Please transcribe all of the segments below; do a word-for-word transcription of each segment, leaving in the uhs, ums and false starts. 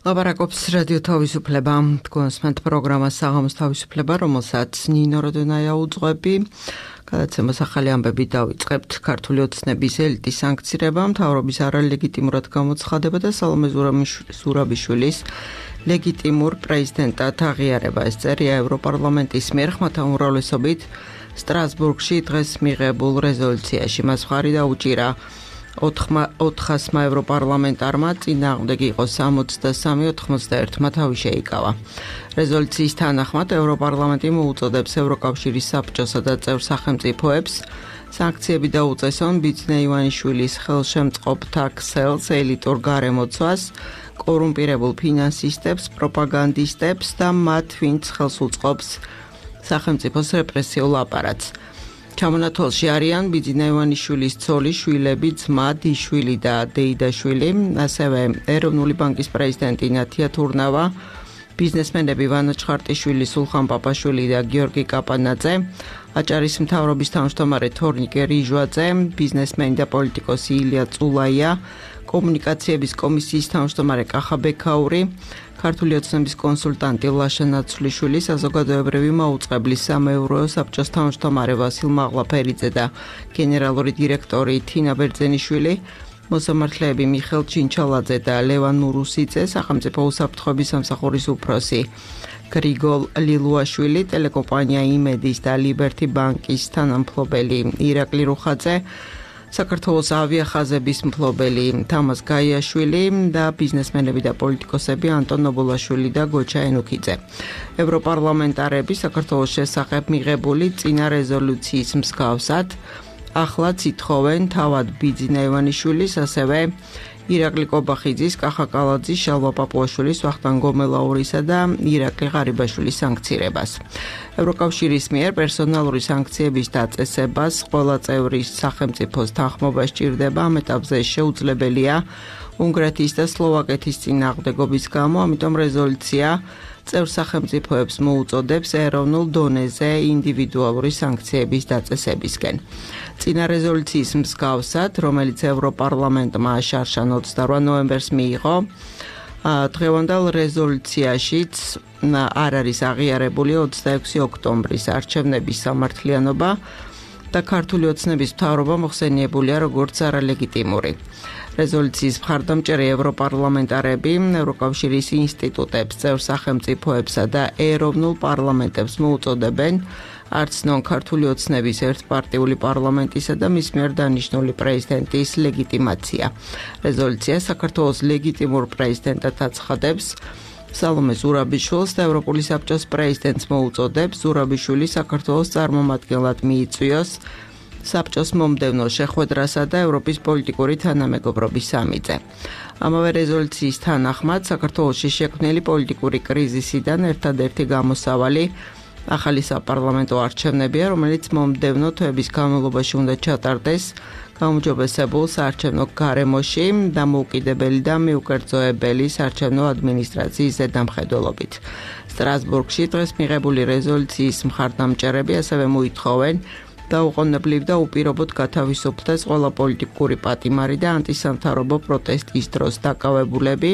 ლაპარაკობს რადიო თავისუფლება, თქვენსმენთ პროგრამას საღამოს თავისუფლება, რომელსაც ნინო როდონაია უძღვები. გადაცემას ახალი ამბები დავიწყებთ. ქართული ოცნების ელიტის სანქცირება, მთავრობის არალეგიტიმურად გამოცხადება და სალომე ზურაბიშვილის ლეგიტიმურ პრეზიდენტად აღიარება. ეს წერია ევროპარლამენტის მიერ ხმათა უმრავლესობით სტრასბურგში დღეს მიღებულ რეზოლუციაში. მას მხარი დაუჭირა ოთხასმა ევროპარლამენტარმა, წინააღმდეგ იყო სამოცდასამი ოცდაერთმა თავი შეიკავა. რეზოლუციის თანახმად ევროპარლამენტი მოუწოდებს ევროკავშირის საბჭოსა და წევრ სახელმწიფოებს სანქციები დაუწესონ ბიძინა ივანიშვილის ხელშემწყობთა ქსელს, ელიტურ გარემოცვას, კორუმპირებულ ფინანსისტებს, პროპაგანდისტებს და მათ, ვინც ხელს უწყობს სახელმწიფოს რეპრესიულ აპარატს. ჩამონათვალში არიან ბიძინა ივანიშვილის ცოლი, შვილები, ძმა, დიშვილი და დეიდაშვილი, ასევე ეროვნული ბანკის პრეზიდენტი ნათია თურნავა, ბიზნესმენები ვანა ჩხარტიშვილი, სულხან პაპაშვილი და გიორგი კაპანაძე, აჭარის მთავრობის თავმჯდომარე თორნიკე რიჟვაძე, ბიზნესმენი და პოლიტიკოსი ილია წულაია, კომუნიკაციების კომისიის თავმჯდომარე კახა ბექაური, ქართული ოცნების კონსულტანტი ლაშა ნაცვლიშვილი, საზოგადოებრივი მაუწყებლის სამეურვეო საბჭოს თავმჯდომარე ვასილ მაღლაფერიძე და გენერალური დირექტორი თინა ბერძენიშვილი, მოსამართლეები მიხელ ჩინჩალაძე და ლევან ნურუსიძე, სახელმწიფო უსაფრთხოების სამსახურის უფროსი გრიგოლ ლილუაშვილი, ტელეკომპანია იმედის და ლიბერთი ბანკის თანამფლობელი ირაკლი რუხაძე, საქართველოს ავიახაზების მფლობელი თამაზ გაიაშვილი და ბიზნესმენები და პოლიტიკოსები ანტონ ნობოლაშვილი და გოჩა ენუქიძე. ევროპარლამენტარები საქართველოს შესახებ მიღებული წინა რეზოლუციის მსგავსად ახლაც ითხოვენ თავად ბიძინა ივანიშვილის, ასევე ირაკლი კობახიძის, კახა კალაძის, შალვა პაპუაშვილის, ვახტანგ გომელაურისა და ირაკლი ღარიბაშვილის სანქცირებას. ევროკავშირის მიერ პერსონალური სანქციების დაწესებას ყველა წევრის სახელმწიფოს თანხმობა სჭირდება. ამ ეტაპზე შეუძლებელია უნგრეთის და სლოვაკეთის წინააღმდეგობის გამო, ამიტომ რეზოლუცია წევრ სახელმწიფოებს მოუწოდებს ეროვნულ დონეზე ინდივიდუალური სანქციების დაწესებისკენ. წინა რეზოლუციის მსგავსად, რომელიც ევროპარლამენტმა შარშან ოცდარვა ნოემბერს მიიღო, დღევანდელ რეზოლუციაშიც არ არის აღიარებული ოცდაექვსი ოქტომბრის არჩევნების სამართლიანობა და ქართული ოცნების მთავრობა მოხსენიებულია როგორც არალეგიტიმური. რეზოლუციის მხარდამჭერი ევროპარლამენტარები ევროკავშირის ინსტიტუტებს, წევრ სახელმწიფოებსა და ეროვნულ პარლამენტებს მოუწოდებენ არცნონ ქართული ოცნების ერთპარტიული პარლამენტისა და მის მიერ დანიშნული პრეზიდენტის ლეგიტიმაცია. რეზოლუცია საქართველოს ლეგიტიმურ პრეზიდენტად აცხადებს სალომე ზურაბიშვილს და ევროპული საბჭოს პრეზიდენტს მოუწოდებს ზურაბიშვილი საქართველოს წარმომადგენლად მიიწვიოს საბჭოს მომდევნო შეხვედრასა და ევროპის პოლიტიკური თანამეგობრობის სამიტზე. ამავე რეზოლუციის თანახმად საქართველოში შექმნილი პოლიტიკური კრიზისიდან ერთადერთი გამოსავალი ახალი საპარლამენტო არჩევნებია, რომელიც მომდევნო თვეების განმავლობაში უნდა ჩატარდეს გაუმჯობესებულ საარჩევნო გარემოში დამოუკიდებელი და მიუკერძოებელი საარჩევნო ადმინისტრაციის ზედამხედველობით. სტრასბურგში დღეს მიღებული რეზოლუციის მხარდამჭერები ასევე მოითხოვენ დაუყოვნებლივ და უპირობოდ გათავისუფლდეს ყველა პოლიტიკური პატიმარი და ანტისამთავრობო პროტესტის დროს დაკავებულები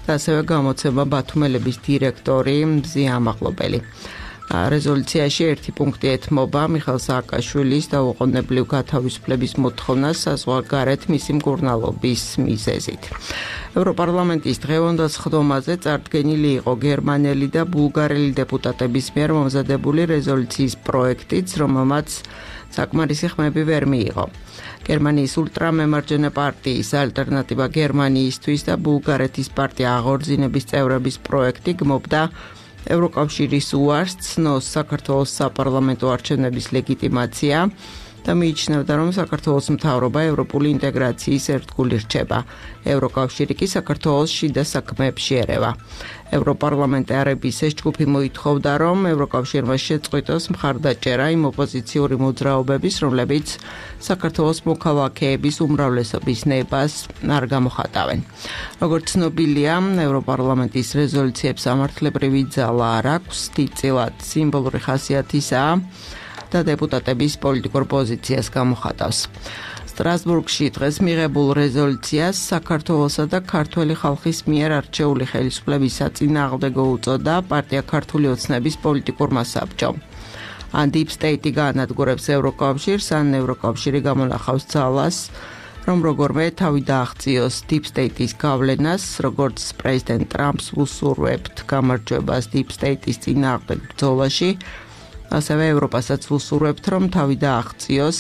და ასევე გამოცემა ბათუმელების დირექტორი მზია ამაღლობელი. რეზოლუციაში ერთი პუნქტი ეთმობა მიხელ სააკაშვილის დაუყოვნებლივ გათავისუფლების მოთხოვნას საზღვარგარეთ მისი მკურნალობის მიზეზით. ევროპარლამენტის დღევანდელ სხდომაზე წარდგენილი იყო გერმანელი და ბულგარელი დეპუტატების მიერ მომზადებული რეზოლუციის პროექტიც, რომელმაც საკმარისი ხმები ვერ მიიღო. გერმანიის ულტრამემარჯვენე პარტიის ალტერნატივა გერმანიისთვის და ბულგარეთის პარტია აღორძინების წევრების პროექტი გმობდა ევროკავშირის უარს ცნოს საქართველოს საპარლამენტო არჩევნების ლეგიტიმაცია და მიიჩნევდა, რომ საქართველოს მთავრობა ევროპული ინტეგრაციის ერთგული რჩება. ევროკავშირი კი საქართველოს შიდა საქმეებში ერევა. ევროპარლამენტარების ეს ჯგუფი მოითხოვდა, რომ ევროკავშირმა შეწყვიტოს მხარდაჭერა იმ ოპოზიციური მოძრაობების, რომლებიც საქართველოს მოქალაქეების უმრავლესობის ნებას არ გამოხატავენ. როგორც ცნობილია, ევროპარლამენტის რეზოლუციებს სამართლებრივი ძალა არ აქვს, დიდწილად სიმბოლური ხასიათისაა და დეპუტატების პოლიტიკურ პოზიციას გამოხატავს. სტრასბურგში დღეს მიღებულ რეზოლუციას საქართველოსა და ქართველი ხალხის მიერ არჩეული ხელისუფლების საწინააღმდეგო უწოდა პარტია ქართული ოცნების პოლიტიკურმა საბჭომ. ან Deep State-ი გაანადგურებს ევროკავშირს, ან ევროკავშირი გამონახავს ძალას, რომ როგორმე თავი დააღწიოს Deep State-ის გავლენას, როგორც პრეზიდენტ ტრამპს უსურვებთ გამარჯვებას Deep State-ის წინააღმდეგ ბრძოლაში, ასევე ევროპასაც უსურვებთ, რომ თავი დააღწიოს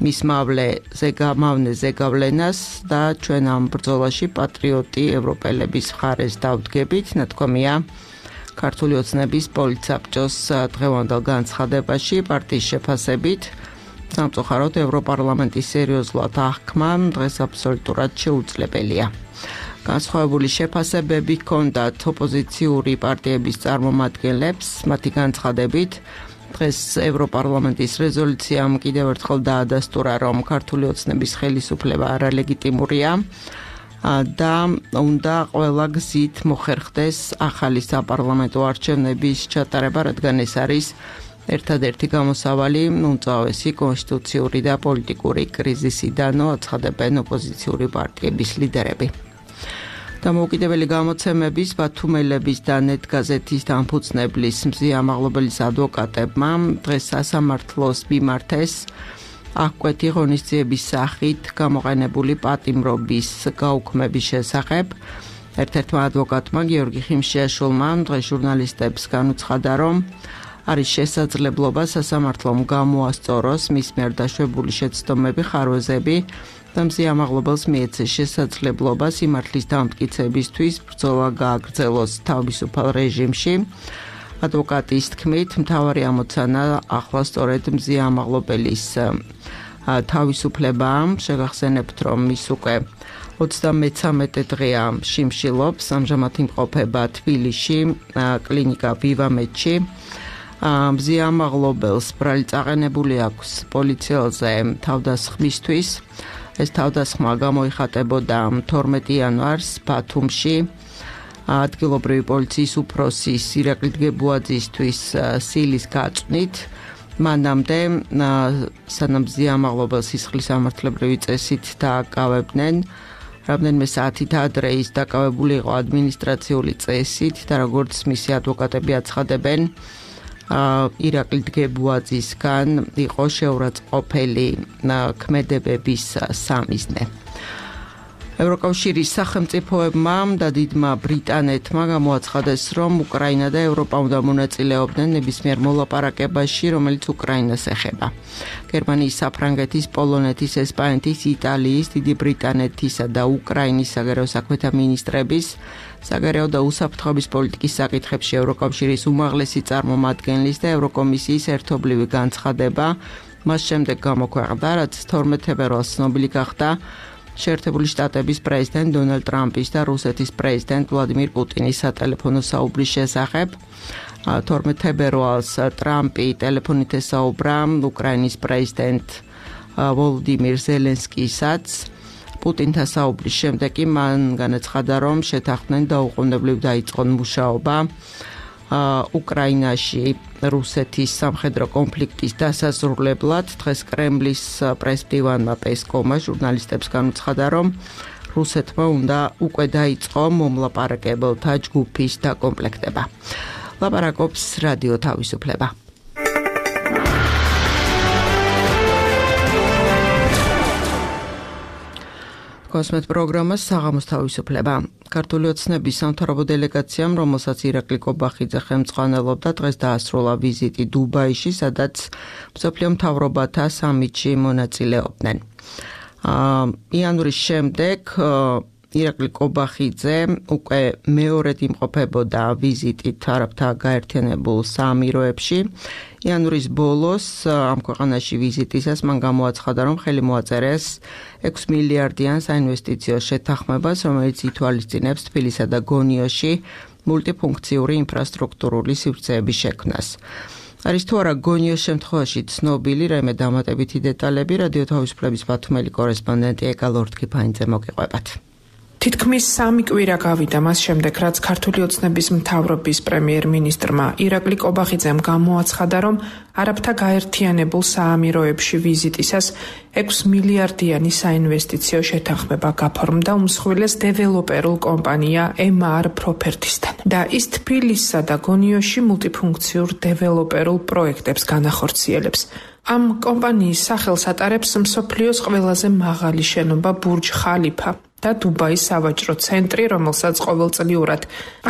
მის მავლეზე გამავნეზე გავლენას და ჩვენ ამ ბრძოლაში პატრიოტი ევროპელების მხარეს დავდგებით, ნათქვამია ქართული ოცნების პოლიტსაბჭოს დღევანდელ განცხადებაში პარტიის შეფასებით. სამწუხაროდ ევროპარლამენტის სერიოზულად აღქმა დღეს აბსოლუტურად შეუძლებელია. განსხვავებული შეფასებები ჰქონდათ ოპოზიციური პარტიების წარმომადგენლებს, მათი განცხადებით დღეს ევროპარლამენტის რეზოლუციამ კიდევ ერთხელ დაადასტურა, რომ ქართული ოცნების ხელისუფლება არალეგიტიმურია და უნდა ყველა გზით მოხერხდეს ახალი საპარლამენტო არჩევნების ჩატარება, რადგან ეს არის ერთადერთი გამოსავალი უმწვავესი კონსტიტუციური და პოლიტიკური კრიზისიდან, აცხადებენ ოპოზიციური პარტიების ლიდერები. დამოუკიდებელი გამოცემების, ბათუმელების და ნეტ გაზეთის დამფუძნებლის მზიამაღლობელის ადვოკატებმა დღეს სასამართლოს მიმართეს აღკვეთი ღონისძიების სახით გამოყენებული პატიმრობის გაუქმების შესახებ. ერთ-ერთმა ადვოკატმა გიორგი ხიმშიაშვილმა დღეს ჟურნალისტებს განუცხადა, რომ არის შესაძლებლობა სასამართლომ გამოასწოროს მის მიერ დაშვებული შეცდომები, ხარვეზები და მზიამაღლობელს მიეცეს შესაძლებლობა სიმართლის დამტკიცებისთვის ბრძოლა გააგრძელოს თავისუფალ რეჟიმში. ადვოკატის თქმით, მთავარი ამოცანა ახლა სწორედ მზიამაღლობელის თავისუფლებაა. შეგახსენებთ, რომ ის უკვე ოცდამეცამეტე დღეა შიმშილობს, ამჟამად იმყოფება თბილისში, კლინიკა ვივამედში. მზიამაღლობელს ბრალი წაყენებული აქვს პოლიციელზე თავდასხმისთვის. ეს თავდასხმა გამოიხატებოდა თორმეტი იანვარს ბათუმში. ადგილობრივი პოლიციის უფროსის ირაკლი დგებუაძისთვის სილის გაწვნით. მანამდე სანამ მზიამაღლობელს სისხლის სამართლებრივი წესით დააკავებდნენ, რამდენიმე საათით ადრე ის დაკავებული იყო ადმინისტრაციული წესით და როგორც მისი ადვოკატები აცხადებენ, ირაკლი დგებუაძისგან იყო შეურაცხყოფელი ქმედებების სამიზნე. ევროკავშირის სახელმწიფოებმა და დიდმა ბრიტანეთმა გამოაცხადეს, რომ უკრაინა და ევროპა უნდა მონაწილეობდნენ ნებისმიერ მოლაპარაკებაში, რომელიც უკრაინას ეხება. გერმანიის, საფრანგეთის, პოლონეთის, ესპანეთის, იტალიის, დიდი ბრიტანეთისა და უკრაინის საგარეო საქმეთა მინისტრების საგარეო და უსაფრთხოების პოლიტიკის საკითხებში ევროკავშირის უმაღლესი წარმომადგენლის და ევროკომისიის ერთობლივი განცხადება მას შემდეგ გამოქვეყნდა, რაც თორმეტ ფებრუარს ცნობილი გახდა შეერთებული შტატების პრეზიდენტ დონალდ ტრამპის და რუსეთის პრეზიდენტ ვლადიმირ პუტინის სატელეფონო საუბრის შესახებ. თორმეტ ფებრუარს ტრამპი ტელეფონით ესაუბრა უკრაინის პრეზიდენტ ვოლოდიმირ ზელენსკისაც. პუტინთან საუბრის შემდეგ კი მან განაცხადა, რომ შეთანხმდნენ დაუყოვნებლივ დაიწყონ მუშაობა უკრაინაში რუსეთის სამხედრო კონფლიქტის დასაზრულებლად. დღეს კრემლის პრესმდივანმა პესკოვმა ჟურნალისტებს განუცხადა, რომ რუსეთმა უნდა უკვე დაიწყო მომლაპარაკებელთა ჯგუფის დაკომპლექტება. ლაპარაკობს რადიო თავისუფლება. კოსმეთ პროგრამას საღამოს თავისუფლება. ქართული ოცნების სამთავრობო დელეგაციამ, რომელსაც ირაკლი კობახიძე ხელმძღვანელობდა, დღეს დაასრულა ვიზიტი დუბაიში, სადაც მსოფლიო მთავრობათა სამიტში მონაწილეობდნენ. იანვრის შემდეგ ირაკლი კობახიძე უკვე მეორედ იმყოფებოდა ვიზიტით არაბთა გაერთიანებულ საამიროებში. იანვრის ბოლოს ამ ქვეყანაში ვიზიტისას მან გამოაცხადა, რომ ხელი მოაწერეს ექვსი მილიარდიან საინვესტიციო შეთანხმებას, რომელიც ითვალისწინებს თბილისსა და გონიოში მულტიფუნქციური ინფრასტრუქტურული სივრცეების შექმნას. არის თუ არა გონიოს შემთხვევაში ცნობილი რაიმე დამატებითი დეტალები, რადიო თავისუფლების ბათუმელი კორესპონდენტი ეკა ლორდ-კიფაინძე მოგიყვებათ. თითქმის სამი კვირა გავიდა მას შემდეგ, რაც ქართული ოცნების მთავრობის პრემიერ-მინისტრმა ირაკლი კობახიძემ გამოაცხადა, რომ არაბთა გაერთიანებულ საამიროებში ვიზიტისას ექვსი მილიარდიანი საინვესტიციო შეთანხმება გაფორმდა უმსხვილეს დეველოპერულ კომპანია ემ არ Properties-თან და ის თბილისსა და გონიოში მულტიფუნქციურ დეველოპერულ პროექტებს განახორციელებს. ამ კომპანიის სახელს ატარებს მსოფლიოს ყველაზე მაღალი შენობა ბურჯ ხალიფა და დუბაის სავაჭრო ცენტრი, რომელსაც ყოველწლიურად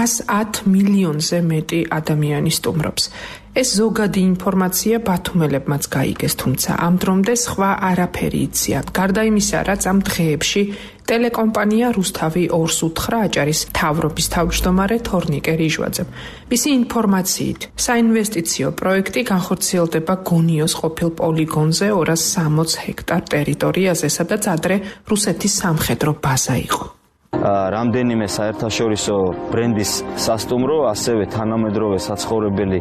ას ათ მილიონზე მეტი ადამიანი სტუმრობს. ეს ზოგადი ინფორმაცია ბათუმელებმაც გაიგეს, თუმცა ამ დრომდე სხვა არაფერი იციან. გარდა იმისა, რაც ამ დღეებში ტელეკომპანია რუსთავი ორს უთხრა აჭარის მთავრობის თავმჯდომარე თორნიკე რიჟვაძემ. მისი ინფორმაციით, საინვესტიციო პროექტი განხორციელდება გონიოს ყოფილ პოლიგონზე ორას სამოცი ჰექტარ ტერიტორიაზე, სადაც ადრე რუსეთის სამხედრო ბაზა იყო. რამდენიმე საერთაშორისო ბრენდის სასტუმრო, ასევე თანამედროვე საცხოვრებელი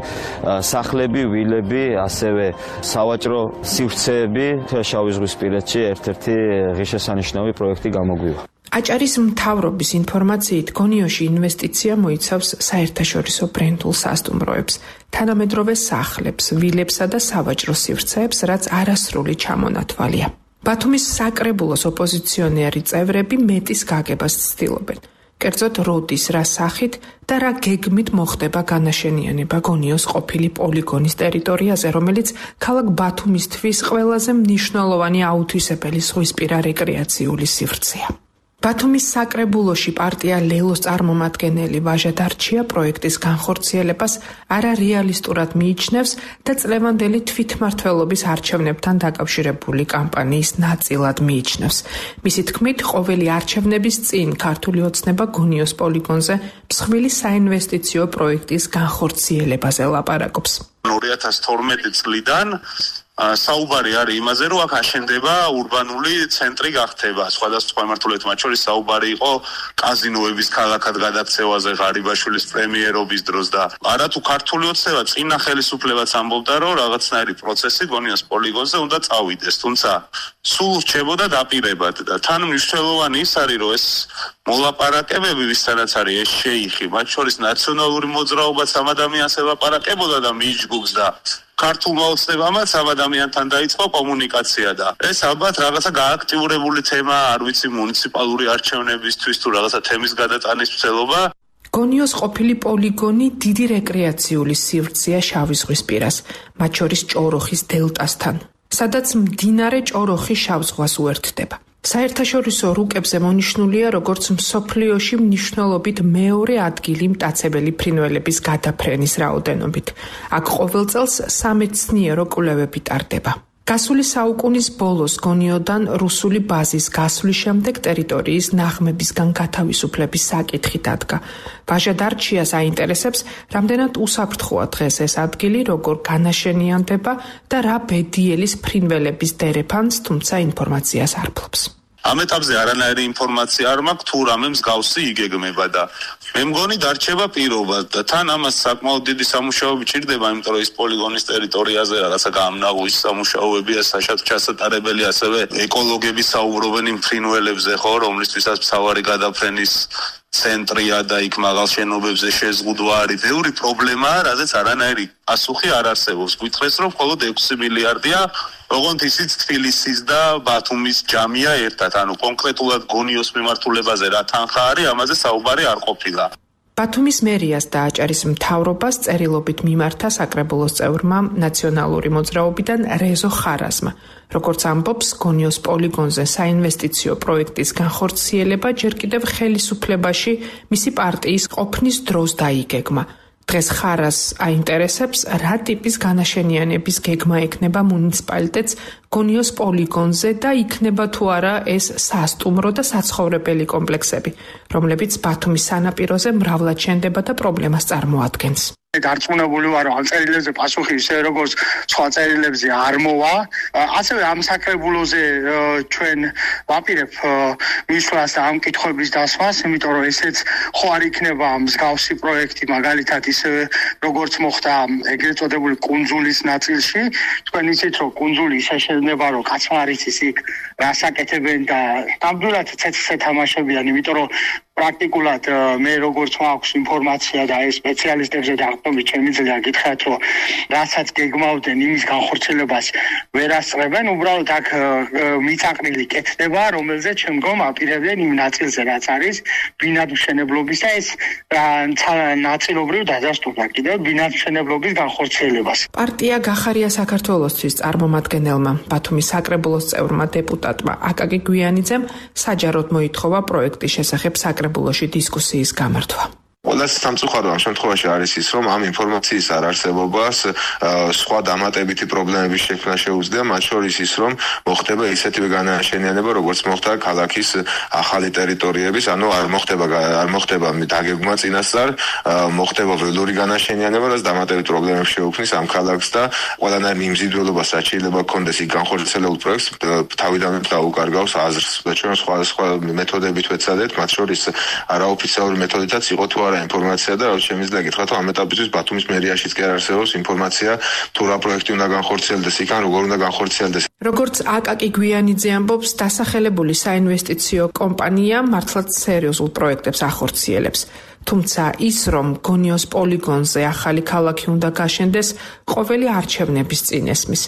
სახლები, ვილები, ასევე სავაჭრო სივრცეები შავიზღვისპირეთში ერთ-ერთი ღირსშესანიშნავი პროექტი გამოგვივა. აჭარის მთავრობის ინფორმაციით, გონიოში ინვესტიცია მოიცავს საერთაშორისო ბრენდულ სასტუმროებს, თანამედროვე სახლებს, ვილებსა და სავაჭრო სივრცეებს, რაც არასრული ჩამონათვალია. ბათუმის საკრებულოს ოპოზიციონერი წევრები მეტის გაგებას ცდილობენ. კერძოდ, როდის, რა სახით და რა გეგმით მოხდება განაშენიანება გონიოს ყოფილი პოლიგონის ტერიტორიაზე, რომელიც ქალაქ ბათუმისთვის ყველაზე მნიშვნელოვანი აუთვისებელი ზღვისპირა რეკრეაციული სივრცეა. ბათუმის საკრებულოში პარტია ლელოს წარმომადგენელი ვაჟა დარჩია პროექტის განხორციელებას არარეალისტურად მიიჩნევს და წლევანდელი თვითმმართველობის არჩევნებთან დაკავშირებული კამპანიის ნაწილად მიიჩნევს. მისი თქმით, ყოველი არჩევნების წინ ქართული ოცნება გონიოს პოლიგონზე მსხვილი საინვესტიციო პროექტის განხორციელებაზე ლაპარაკობს. ორი ათას თორმეტი წლიდან საუბარი არის იმაზე, რომ აქ აშენდება ურბანული ცენტრი გახდება. სხვადასხვა მიმართულებით, მათ შორის საუბარი იყო კაზინოების ქალაქად გადაქცევაზე ღარიბაშვილის პრემიერობის დროს და არათუ ქართული ოცნება წინა ხელისუფლებაც ამბობდა, რომ რაღაცნაირი პროცესი გონიოს პოლიგონზე უნდა წავიდეს, თუმცა სულ რჩებოდა დაპირებად და თან მნიშვნელოვანი ის არის, რომ ეს მოლაპარაკებები, ვისთანაც არის ეს შეიხი, მათ შორის ნაციონალური მოძრაობაც ამ ადამიანს ელაპარაკებოდა და მიიჯგუფდა. ქართულმა ოცნებამაც ამ ადამიანთან დაიწყო კომუნიკაცია და ეს ალბათ რაღაცა გააქტიურებული თემა, არ ვიცი, მუნიციპალური არჩევნებისთვის თუ რაღაცა თემის გადატანის მცდელობა. გონიოს ყოფილი პოლიგონი დიდი რეკრეაციული სივრცეა შავიზღვისპირას, მათ შორის ჭოროხის დელტასთან, სადაც მდინარე ჭოროხი შავ ზღვას უერთდება. საერთაშორისო რუკებზე მონიშნულია როგორც მსოფლიოში მნიშვნელობით მეორე ადგილი მტაცებელი ფრინველების გადაფრენის რაოდენობით. აქ ყოველ წელს სამეცნიერო კვლევები ტარდება. გასული საუკუნის ბოლოს გონიოდან რუსული ბაზის გასვლის შემდეგ ტერიტორიის ნაღმებისგან გათავისუფლების საკითხი დადგა. ვაჟა დარჩიას აინტერესებს, რამდენად უსაფრთხოა დღეს ეს ადგილი, როგორ განაშენიანდება და რა ბედიელის ფრინველების დერეფანს, თუმცა ინფორმაციას არ ფლობს. ამ ეტაპზე არანაირი ინფორმაცია არ მაქვს, თუ რამე მსგავსი იგეგმება და მე მგონი დარჩება პირობა და თან ამას საკმაოდ დიდი სამუშაოები ჭირდება, იმიტომ რომ ის პოლიგონის ტერიტორიაზე რაღაცა გამნაღვის სამუშაოებია, საშატ ჩასატარებელი, ასევე ეკოლოგები საუბრობენ იმ ფრინველებზე, ხო, რომლისთვისაც მთავარი გადაფრენის ცენტრია და იქ მაღალ შენობებზე შეზღუდვა არის. ბევრი პრობლემაა, რაზეც არანაირი პასუხი არ არსებობს. გითხრეს, რომ მხოლოდ ექვსი მილიარდია, ოღონდ ისიც თბილისის და ბათუმის ჯამია ერთად, ანუ კონკრეტულად გონიოს მიმართულებაზე რა თანხა არის, ამაზე საუბარი არ ყოფილა. ბათუმის მერიას და აჭარის მთავრობას წერილობით მიმართა საკრებულოს წევრმა ნაციონალური მოძრაობიდან რეზო ხარაზმა. როგორც ამბობს, გონიოს პოლიგონზე საინვესტიციო პროექტის განხორციელება ჯერ კიდევ ხელისუფლებაში მისი პარტიის ყოფნის დროს დაიგეგმა. დღეს ხარას აინტერესებს, რა ტიპის განაშენიანების გეგმა ექნება მუნიციპალიტეტს გონიოს პოლიგონზე და იქნება თუ არა ეს სასტუმრო და საცხოვრებელი კომპლექსები, რომლებიც ბათუმის სანაპიროზე მრავლად შენდება და პრობლემას წარმოადგენს. დარწმუნებული ვარ, რომ ამ წერილებზე პასუხი ისე როგორც სხვა წერილებზე არ მოვა. ასევე ამ საკრებულოზე ჩვენ ვაპირებ მისვლას და ამ კითხვების დასვას, იმიტომ რომ ესეც ხო არ იქნება მსგავსი პროექტი, მაგალითად ისევე როგორც მოხდა ეგრეთ წოდებული კუნძულის ნაწილში. თქვენ იცით, რომ კუნძული ისე შეიძლება, რომ კაცმა არ იცის იქ რას აკეთებენ და ნამდვილად ცეცხლზე თამაშებიან, იმიტომ რომ პრაქტიკულად მე როგორც მაქვს ინფორმაცია და ეს სპეციალისტებზე დაყრდნობით შემიძლია გითხრათ, რომ რასაც გეგმავდნენ იმის განხორციელებას ვერ ასწრებენ, უბრალოდ აქ მიწაყრილი კეთდება, რომელზეც შემდგომ აპირებდნენ იმ ნაწილზე, რაც არის ბინადმშენებლობის და ეს ნაწილობრივ დადასტურდა კიდევ ბინადმშენებლობის განხორციელებას. პარტია გახარია საქართველოსთვის წარმომადგენელმა ბათუმის საკრებულოს წევრმა დეპუტატმა აკაკი გვიანიძემ საჯაროდ მოითხოვა პროექტის შესახებ საკრებულოში დისკუსიის გამართვა. Ყველას სამწუხარო ამ შემთხვევაში არის ის, რომ ამ ინფორმაციის არ არსებობას სხვა დამატებითი პრობლემების შექმნა შეუძლია, მათ შორის ის, რომ მოხდება ისეთივე განაშენიანება, როგორც მოხდა ქალაქის ახალი ტერიტორიების, ანუ არ მოხდება არ მოხდება დაგეგმვა წინასწარ, მოხდება ველური განაშენიანება, რაც დამატებით პრობლემებს შეუქმნის ამ ქალაქს და ყველანაირ მიმზიდველობას რაც შეიძლება გქონდეს იქ განხორციელებულ პროექტს თავიდანვე დაუკარგავს აზრს. და ჩვენ სხვა სხვა მეთოდებით ვეცადეთ, მათ შორის არაოფიციალური მეთოდითაც იყო თუ ინფორმაცია და რაც შემიძლია გითხრათ, რომ ამ ეტაპისთვის ბათუმის მერიაშიც კი არ არსებობს ინფორმაცია თუ რა პროექტი უნდა განხორციელდეს იქ ან როგორ უნდა განხორციელდეს. როგორც აკაკი გვიანიძე ამბობს, დასახელებული საინვესტიციო კომპანია მართლაც სერიოზულ პროექტებს ახორციელებს. თუმცა ის, რომ გონიოს პოლიგონზე ახალი ქალაქი უნდა გაშენდეს, ყოველი არჩევნების წინ ესმის.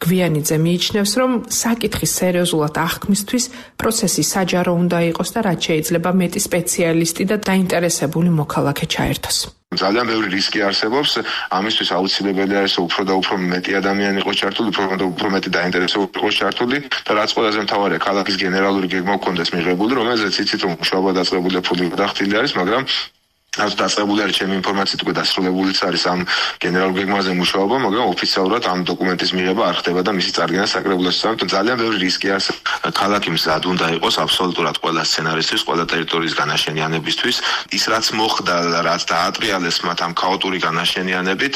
გვიანიძე მიიჩნევს, რომ საკითხის სერიოზულად აღქმისთვის პროცესი საჯარო უნდა იყოს და რაც შეიძლება მეტი სპეციალისტი და დაინტერესებული მოქალაქე ჩაერთოს. ძალიან ბევრი რისკი არსებობს, ამისთვის აუცილებელი არის უფრო და უფრო მეტი ადამიანი იყოს ჩართული, უფრო და უფრო მეტი დაინტერესებული იყოს ჩართული და რაც ყველაზე მთავარია, ქალაქის გენერალური გეგმა გქონდეს მიღებული, რომელზეც იცით, რომ მუშაობა დაწყებული და ფული გადახდილი არის, მაგრამ რაც დაწყებული არის ჩემი ინფორმაციით უკვე დასრულებულიც არის ამ გენერალურ გეგმაზე მუშაობა, მაგრამ ოფიციალურად ამ დოკუმენტის მიღება არ ხდება და მისი წარდგენა საკრებულოში. ამიტომ ძალიან ბევრი რისკი არსებობს. ქალაქი მზად უნდა იყოს აბსოლუტურად ყველა სცენარისთვის, ყველა ტერიტორიის განაშენიანებისთვის. ის რაც მოხდა, რაც დაატრიალეს მათ ამ ქაოტური განაშენიანებით,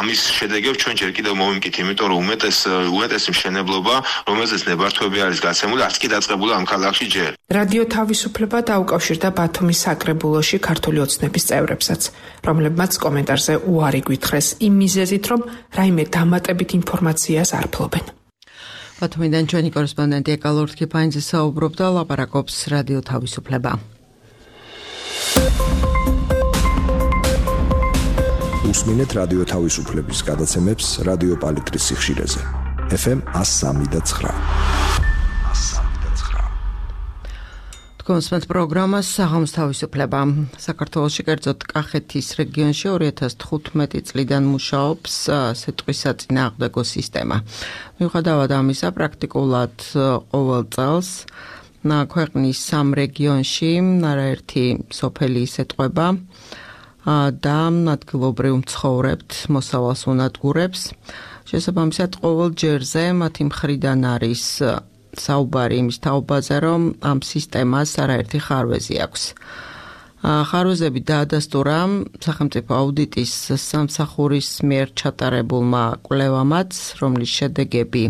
ამის შედეგებს ჩვენ ჯერ კიდევ მოვიმკით, იმიტომ რომ უმეტეს უმეტესი მშენებლობა, რომელზეც ნებართვები არის გაცემული, არც კი დაწყებული ამ ქალაქში ჯერ. რადიო თავისუფლება დაუკავშირდა ბათუმის საკრებულოში ქართული ოცნების წევრებსაც, რომლებმაც კომენტარზე უარი გვითხრეს იმ მიზეზით, რომ რაიმე დამატებით ინფორმაციას არ ფლობენ. ბათუმიდან ჩვენი კორესპონდენტი ეკალო რთქიფანიძე საუბრობდა, ლაპარაკობს რადიო თავისუფლება. უსმინეთ რადიო თავისუფლების გადაცემებს რადიო პალიტრის სიხშირეზე. ეფ ემ one oh three point nine. კონსმეთ პროგრამას საღამოს თავისუფლება. საქართველოში, კერძოდ კახეთის რეგიონში ორი ათას თხუთმეტი წლიდან მუშაობს სიტყვის საწინააღმდეგო სისტემა. მიუხედავად ამისა, პრაქტიკულად ყოველ წელს ქვეყნის სამ რეგიონში არაერთი სოფელი ისეტყვება და ადგილობრივ მცხოვრებთ მოსავალს უნადგურებს. შესაბამისად, ყოველ ჯერზე მათი მხრიდან არის საუბარი იმის თაობაზე, რომ ამ სისტემას არაერთი ხარვეზი აქვს. ხარვეზები დაადასტურა სახელმწიფო აუდიტის სამსახურის მიერ ჩატარებულმა კვლევამაც, რომლის შედეგები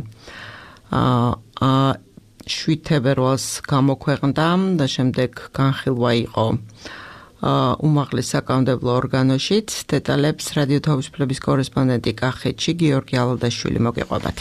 შვიდ თებერვალს გამოქვეყნდა და შემდეგ განხილვა იყო უმაღლეს საკანონმდებლო ორგანოშიც. დეტალებს რადიო თავისუფლების კორესპონდენტი კახეთში გიორგი ალადაშვილი მოგიყვებათ.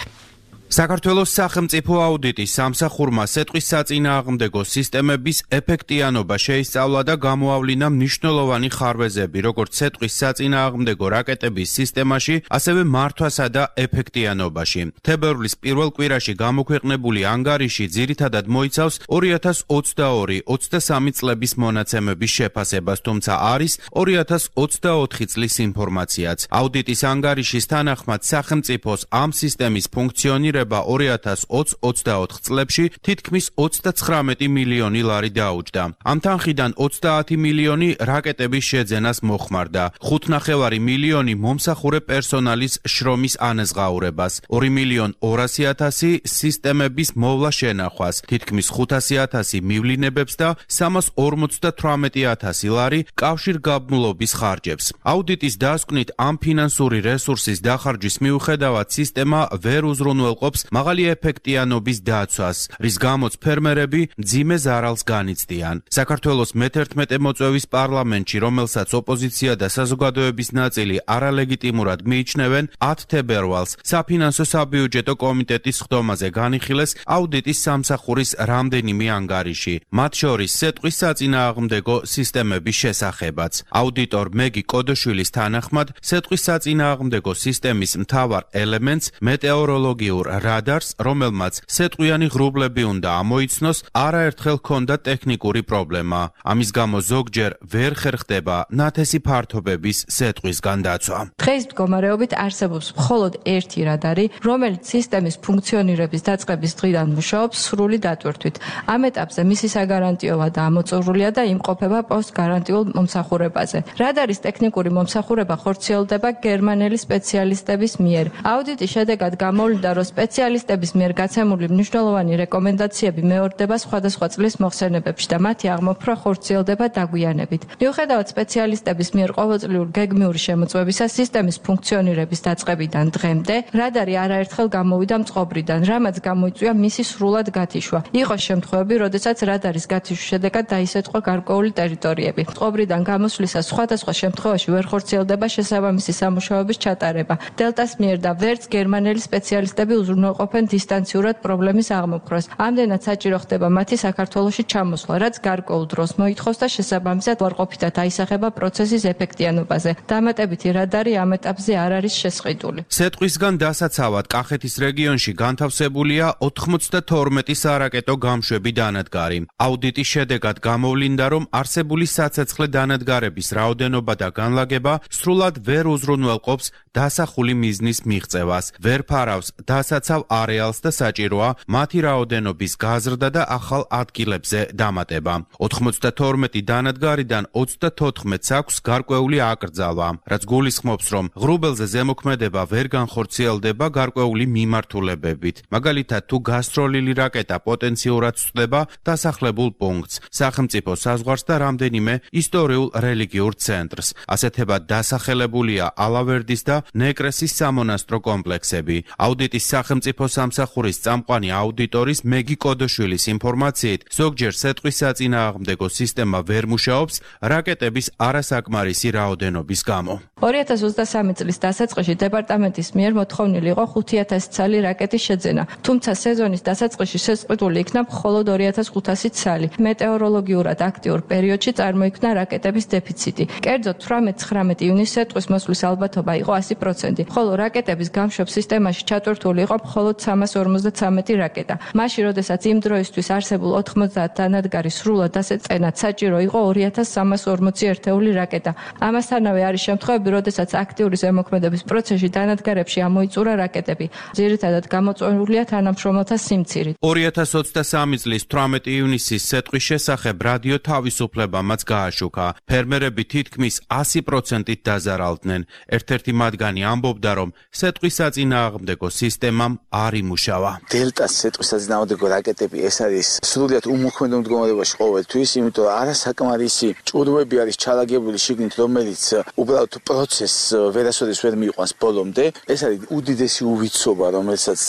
საქართველოს სახელმწიფო აუდიტის სამსახურმა სიტყვის საწინააღმდეგო სისტემების ეფექტიანობა შეისწავლა და გამოავლინა მნიშვნელოვანი ხარვეზები, როგორც სიტყვის საწინააღმდეგო რაკეტების სისტემაში, ასევე მართვასა და ეფექტიანობაში. თებერვლის პირველ კვირაში გამოქვეყნებული ანგარიში ძირითადად მოიცავს ორი ათას ოცდაორი ოცდასამი წლების მონაცემების შეფასებას, თუმცა არის ორი ათას ოცდაოთხი წლის ინფორმაციაც. აუდიტის ანგარიშის თანახმად სახელმწიფოს ამ სისტემის ფუნქციონირება ითვლება ორი ათას ოცი ოცდაოთხ წლებში თითქმის ოცდაცხრამეტი მილიონი ლარი დაუჯდა. ამ თანხიდან ოცდაათი მილიონი რაკეტების შეძენას მოხმარდა, ხუთნახევარი მილიონი მომსახურე პერსონალის შრომის ანაზღაურებას, ორი მილიონი ორასი ათასი სისტემების მოვლა შენახვას, თითქმის ხუთასი ათასი მივლინებებს და სამას ორმოცდათვრამეტი ათასი ლარი კავშირგაბმულობის ხარჯებს. აუდიტის დასკვნით ამ ფინანსური რესურსის დახარჯვის მიუხედავად სისტემა ვერ უზრუნველყოფს მაღალი ეფექტიანობის დაცვას, რის გამოც ფერმერები მძიმე ზარალს განიცდიან. საქართველოს მეთერთმეტე მოწვევის პარლამენტში, რომელსაც ოპოზიცია და საზოგადოების ნაწილი არალეგიტიმურად მიიჩნევენ, ათ თებერვალს საფინანსო საბიუჯეტო კომიტეტის ხდომაზე განიხილეს აუდიტის სამსახურის რამდენიმე ანგარიში, მათ შორის სეტყვის საწინააღმდეგო სისტემების შესახებაც. აუდიტორ მეგი კოდოშვილის თანახმად, სეტყვის საწინააღმდეგო სისტემის მთავარ ელემენტს მეტეოროლოგიურ რადარს, რომელმაც სეტყვიანი ღრუბლები უნდა ამოიცნოს, არაერთხელ ჰქონდა ტექნიკური პრობლემა. ამის გამო ზოგჯერ ვერ ხერხდება ნათესი ფართობების სეტყვისგან დაცვა. დღეს მდგომარეობით არსებობს მხოლოდ ერთი რადარი, რომელიც სისტემის ფუნქციონირების დაწყების დღიდან მუშაობს სრული დატვირთვით. ამ ეტაპზე მისი საგარანტიო ვადა ამოწურულია და იმყოფება პოსტგარანტიულ მომსახურებაზე. რადარის ტექნიკური მომსახურება ხორციელდება გერმანელი სპეციალისტების მიერ. აუდიტის შედეგად გამოვლინდა, რომ სპეციალისტების მიერ გაცემული მნიშვნელოვანი რეკომენდაციები მეორდება სხვადასხვა წლის მოხსენებებში და მათი აღმოფხვრა ხორციელდება დაგვიანებით. მიუხედავად სპეციალისტების მიერ ყოველწლიური გეგმიური შემოწმებისა სისტემის ფუნქციონირების დაწყებიდან დღემდე, რადარი არაერთხელ გამოვიდა მწყობრიდან, რამაც გამოიწვია მისი სრულად გათიშვა. იყო შემთხვევები, როდესაც რადარის გათიშვის შედეგად დაისეთყვა გარკვეული ტერიტორიები. მწყობრიდან გამოსვლისას სხვადასხვა შემთხვევაში ვერ ხორციელდება შესაბამისი სამუშაოების ჩატარება. დელტას მიერ და ვერც გერმანელი სპეციალისტები უზრუნველყოფენ დისტანციურად პრობლემის აღმოფხვრას. ამდენად საჭირო ხდება მათი საქართველოში ჩამოსვლა, რაც გარკვეულ დროს მოითხოვს და შესაბამისად უარყოფითად აისახება პროცესის ეფექტიანობაზე. დამატებითი რადარი ამ ეტაპზე არ არის შესყიდული. სეტყვისგან დასაცავად კახეთის რეგიონში განთავსებულია ოთხმოცდათორმეტი სარაკეტო გამშვები დანადგარი. აუდიტის შედეგად გამოვლინდა, რომ არსებული საცეცხლე დანადგარების რაოდენობა და განლაგება სრულად ვერ უზრუნველყოფს დასახული მიზნის მიღწევას, ვერ ფარავს დასაცავ არეალს და საჭიროა მათი რაოდენობის გაზრდა და ახალ ადგილებზე დამატება. ოთხმოცდათორმეტი დანადგარიდან ოცდათოთხმეტს აქვს გარკვეული აკრძალვა, რაც გულისხმობს, რომ ღრუბელზე ზემოქმედება ვერ განხორციელდება გარკვეული მიმართულებებით. მაგალითად, თუ გასროლილი რაკეტა პოტენციურად სწდება დასახლებულ პუნქტს, სახელმწიფო საზღვარს და რამდენიმე ისტორიულ რელიგიურ ცენტრს. ასეთებად დასახელებულია ალავერდის და ნეკრესის სამონასტრო კომპლექსები. აუდიტის სახელმწიფო სამსახურის წამყვანი აუდიტორის მეგი კოდოშვილის ინფორმაციით, ზოგჯერ სეტყვის საწინააღმდეგო სისტემა ვერ მუშაობს რაკეტების არასაკმარისი რაოდენობის გამო. ორი ათას ოცდასამი წლის დასაწყისში დეპარტამენტის მიერ მოთხოვნილი იყო ხუთი ათასი ცალი რაკეტის შეძენა, თუმცა სეზონის დასაწყისში შესყიდული იქნა მხოლოდ ორი ათას ხუთასი ცალი. მეტეოროლოგიურად აქტიურ პერიოდში წარმოიქმნა რაკეტების დეფიციტი. კერძოდ თვრამეტ ცხრამეტ ივნისს სეტყვის მოსვლის ალბათობა იყო ასი პროცენტი, ხოლო რაკეტების გამშვებ სისტემაში ჩატვირთული იყო მხოლოდ სამას ორმოცდაცამეტი რაკეტა. მაშინ, როდესაც იმ დროისთვის არსებულ ოთხმოცდაათ დანადგარის სრულად დასაწყენად საჭირო იყო ორი ათას სამას ორმოცი ერთეული რაკეტა. ამასთანავე არის შემთხვევები, როდესაც აქტიური ზემოქმედების პროცესში დანადგარებში ამოიწურა რაკეტები. ძირითადად გამოწვეულია თანამშრომელთა სიმცირით. ორი ათას ოცდასამი წლის თვრამეტი ივნისის სეტყვის შესახებ რადიო თავისუფლებამაც გააშუქა. ფერმერები თითქმის ასი პროცენტით დაზარალდნენ. ერთ-ერთი მათგანი ამბობდა, რომ სეტყვის საწინააღმდეგო სისტემამ არ იმუშავა. დელტას სეტყვის საწინააღმდეგო რაკეტები ეს არის სრულიად უმოქმედო მდგომარეობაში ყოველთვის, იმიტომ რომ არასაკმარისი ჭურვები არის ჩალაგებული შიგნით, რომელიც უბრალოდ პროცესს ვერასოდეს ვერ მიიყვანს ბოლომდე. ეს არის უდიდესი უვიცობა, რომელსაც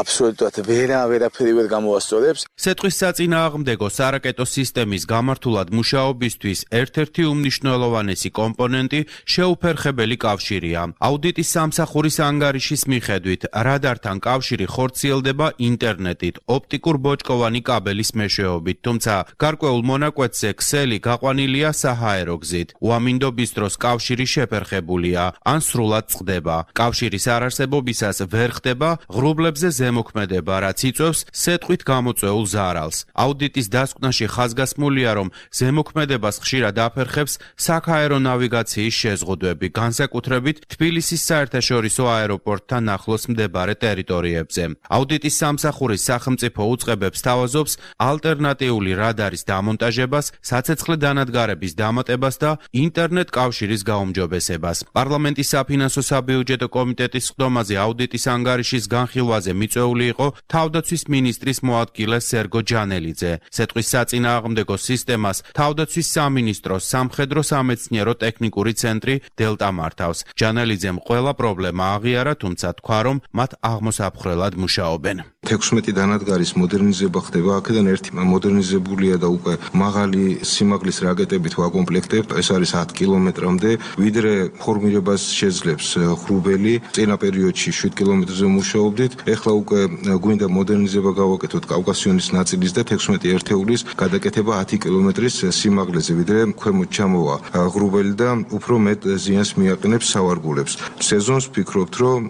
აბსოლუტურად ვერა ვერაფერი ვერ გამოასწორებს. სეტყვის საწინააღმდეგო სარაკეტო სისტემის გამართულად მუშაობისთვის ერთ-ერთი უმნიშვნელოვანესი კომპონენტი შეუფერხებელი კავშირია. აუდიტის სამსახურის ანგარიშის მიხედვით, რადართან კავშირი ხორციელდება ინტერნეტით, ოპტიკურ ბოჭკოვანი კაბელის მეშვეობით, თუმცა გარკვეულ მონაკვეთზე ქსელი გაყვანილია საჰაერო გზით. უამინდობის დროს კავშირი შეფერხებულია, ან სრულად წყდება. კავშირის არარსებობისას ვერ ხდება ღრუბლებზე ზემოქმედება, რაც იწვევს სეტყვით გამოწვეულ ზარალს. აუდიტის დასკვნაში ხაზგასმულია, რომ ზემოქმედებას ხშირად აფერხებს საქაერო ნავიგაციის შეზღუდვები, განსაკუთრებით თბილისის საერთაშორისო აეროპორტთან ახლოს მდებარე ტერიტორიებში. ტერიტორიებზე. აუდიტის სამსახურის სახელმწიფო უწყებებს თავაზობს ალტერნატიული რადარის დამონტაჟებას, საცეცხლე დანადგარების დამატებას და ინტერნეტ კავშირის გაუმჯობესებას. პარლამენტის საფინანსო საბიუჯეტო კომიტეტის სხდომაზე აუდიტის ანგარიშის განხილვაზე მიწვეული იყო თავდაცვის მინისტრის მოადგილე სერგო ჯანელიძე. სეტყვის საწინააღმდეგო სისტემას თავდაცვის სამინისტროს სამხედრო სამეცნიერო ტექნიკური ცენტრი დელტა მართავს. ჯანელიძემ ყველა პრობლემა აღიარა, თუმცა თქვა, რომ მათ აღმოსაფხრელად მუშაობენ. თექვსმეტი დანადგარის მოდერნიზება ხდება, აქედან ერთი მოდერნიზებულია და უკვე მაღალი სიმაღლის რაკეტებით ვაკომპლექტებთ, ეს არის ათი კილომეტრამდე, ვიდრე ფორმირებას შეძლებს ხრუბელი, წინა პერიოდში შვიდ კილომეტრზე მუშაობდით, ეხლა უკვე გვინდა მოდერნიზება გავაკეთოთ კავკასიონის ნაწილის და თექვსმეტი ერთეულის გადაკეთება ათი კილომეტრის სიმაღლეზე, ვიდრე ქვემოთ ჩამოვა ხრუბელი და უფრო მეტ ზიანს მიაყენებს სავარგულებს. სეზონს ვფიქრობთ, რომ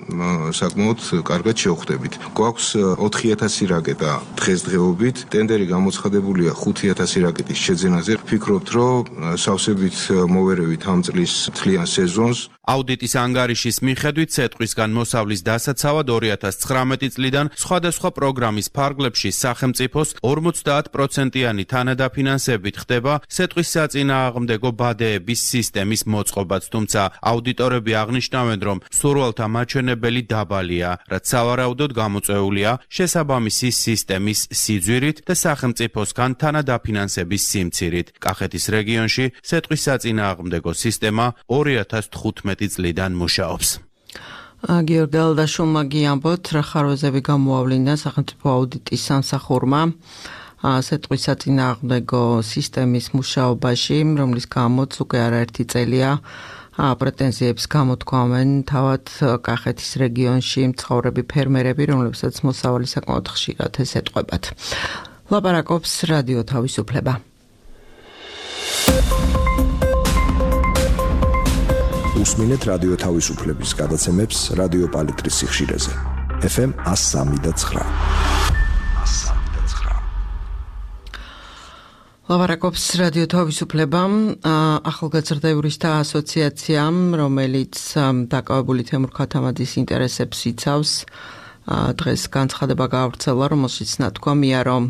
საკმაოდ კარგად შევხვდებით. გვაქვს ოთხი ათასი რაკეტა დღესდღეობით, ტენდერი გამოცხადებულია ხუთი ათასი რაკეტის შეძენაზე. ვფიქრობთ, რომ სავსებით მოვერევით ამ წლის თლიან სეზონს. აუდიტის ანგარიშის მიხედვით სეტყვისგან მოსავლის დასაცავად ორი ათას ცხრამეტი წლიდან სხვადასხვა პროგრამის ფარგლებში სახელმწიფოს ორმოცდაათ პროცენტიანი თანადაფინანსებით ხდება სეტყვის საწინააღმდეგო ბადეების სისტემის მოწყობაც, თუმცა აუდიტორები აღნიშნავენ, რომ მსურველთა მაჩვენებელი დაბალია, რაც სავარაუდოდ გამოწვეულია შესაბამისი სისტემის სიძვირით და სახელმწიფოსგან თანადაფინანსების სიმცირით. კახეთის რეგიონში სეტყვის საწინააღმდეგო სისტემა ორი ათას თხუთმეტი წლიდან მუშაობს. გიორგი დალდაშვილმა გიამბოთ, რა ხარვეზები გამოავლინა სახელმწიფო აუდიტის სამსახურმა სეტყვის საწინააღმდეგო სისტემის მუშაობაში, რომლის გამოც უკვე არაერთი წელია პრეტენზიებს გამოთქვამენ თავად კახეთის რეგიონში მცხოვრები ფერმერები, რომლებსაც მოსავალი საკმაოდ ხშირად ესეტყვებათ. ლაპარაკობს რადიო თავისუფლება. უსმინეთ რადიო თავისუფლების გადაცემებს რადიო პალიტრის სიხშირეზე. ეფ ემ one oh three და nine. ლაპარაკობს რადიო თავისუფლება, ახალგაზრდა იურისტთა ასოციაციამ, რომელიც დაკავებული თემურ ქათამაძის ინტერესებს იცავს, დღეს განცხადება გაავრცელა, რომელშიც ნათქვამია, რომ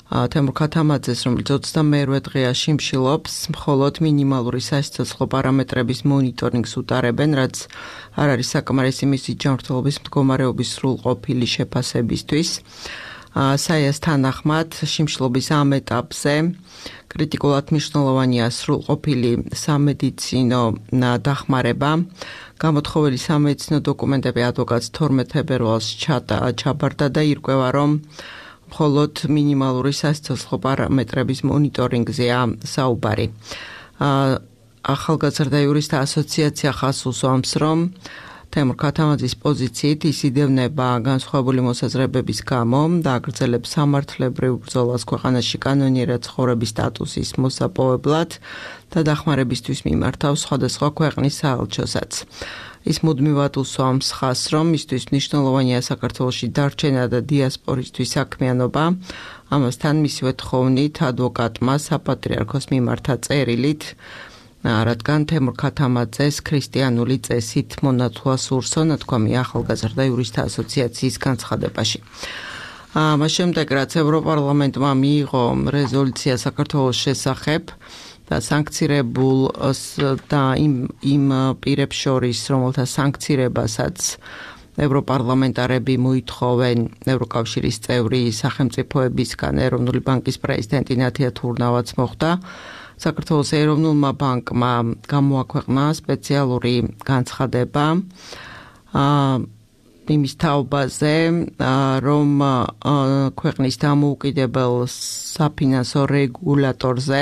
თემურ ქათამაძეს, რომელიც ოცდამეერვე დღეა შიმშილობს, მხოლოდ მინიმალური სასიცოცხლო პარამეტრების მონიტორინგს უტარებენ, რაც არ არის საკმარისი მისი ჯანმრთელობის მდგომარეობის სრულყოფილი შეფასებისთვის. საიას თანახმად, შიმშილობის ამ ეტაპზე კრიტიკულად მნიშვნელოვანია სრულყოფილი სამედიცინო დახმარება. გამოთხოვილი სამედიცინო დოკუმენტები ადვოკატს თორმეტ ფებრუარს ჩაბარდა და ირკვევა, რომ მხოლოდ მინიმალური სასიცოცხლო პარამეტრების მონიტორინგზეა საუბარი. ახალგაზრდა იურისტთა ასოციაცია ხაზს უსვამს, რომ თემურ ქათამაძის პოზიციით ის იდევნება განსხვავებული მოსაზრებების გამო და აგრძელებს სამართლებრივ ბრძოლას ქვეყანაში კანონიერად ცხოვრების სტატუსის მოსაპოვებლად და დახმარებისთვის მიმართავს სხვადასხვა ქვეყნის საელჩოსაც. ის მუდმივად უსვამს ხაზს, რომ მისთვის მნიშვნელოვანია საქართველოში დარჩენა და დიასპორისთვის საქმიანობა. ამასთან მისივე თხოვნით ადვოკატმა საპატრიარქოს მიმართა წერილით, რადგან თემურ ქათამაძეს ქრისტიანული წესით მონათლა სურსო, ნათქვამია ახალგაზრდა იურისტთა ასოციაციის განცხადებაში. ამას შემდეგ, რაც ევროპარლამენტმა მიიღო რეზოლუცია საქართველოს შესახებ და სანქცირებულ და იმ იმ პირებს შორის, რომელთა სანქცირებასაც ევროპარლამენტარები მოითხოვენ ევროკავშირის წევრი სახელმწიფოებისგან, ეროვნული ბანკის პრეზიდენტი ნათია თურნავაც მოხდა. საქართველოს ეროვნულმა ბანკმა გამოაქვეყნა სპეციალური განცხადება იმის თაობაზე, რომ ქვეყნის დამოუკიდებელ საფინანსო რეგულატორზე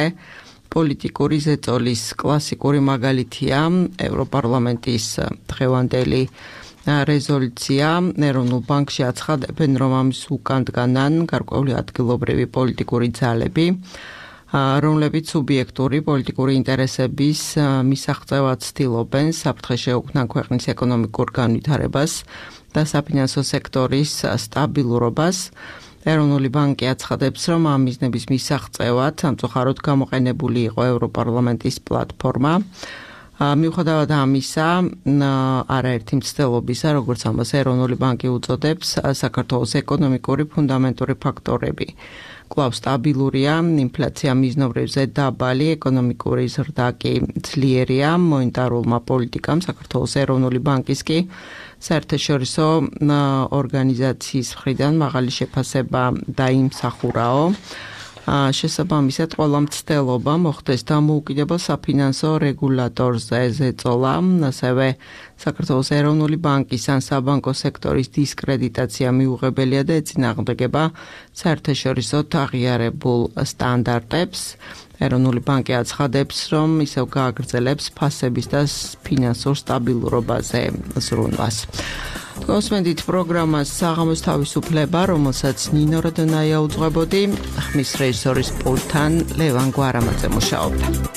პოლიტიკური ზეწოლის კლასიკური მაგალითია ევროპარლამენტის დღევანდელი რეზოლუცია. ეროვნულ ბანკში აცხადებენ, რომ ამის უკან დგანან გარკვეული ადგილობრივი პოლიტიკური ძალები, რომლებიც სუბიექტური პოლიტიკური ინტერესების მისაღწევად ცდილობენ საფრთხე შეუქმნან ქვეყნის ეკონომიკურ განვითარებას და საფინანსო სექტორის სტაბილურობას. ეროვნული ბანკი აცხადებს, რომ ამ მიზნების მისაღწევად სამწუხაროდ გამოყენებული იყო ევროპარლამენტის პლატფორმა, მიუხედავად ამისა, არაერთი მცდელობისა, როგორც ამას ეროვნული ბანკი უწოდებს, საქართველოს ეკონომიკური ფუნდამენტური ფაქტორები კვლავ სტაბილურია, ინფლაცია მიზნობრივზე დაბალი, ეკონომიკური ზრდა კი ძლიერია, მონეტარულმა პოლიტიკამ საქართველოს ეროვნული ბანკის კი საერთაშორისო ორგანიზაციის მხრიდან მაღალი შეფასება დაიმსახურაო. შესაბამისად, ყველა მცდელობა მოხდეს დამოუკიდებელ საფინანსო რეგულატორზე ზეწოლა, ასევე საქართველოს ეროვნული ბანკის ან საბანკო სექტორის დისკრედიტაცია მიუღებელია და ეწინააღმდეგება საერთაშორისო აღიარებულ სტანდარტებს. ეროვნული ბანკი აცხადებს, რომ ისევ გააგრძელებს ფასების და ფინანსურ სტაბილურობაზე ზრუნვას. გოსმენდით პროგრამას საღამოს თავისუფლება, რომელსაც ნინო როდონაია უძღვებოდი, ხმის რეჟისორის პულტთან ლევან გვარამაძე მუშაობდა.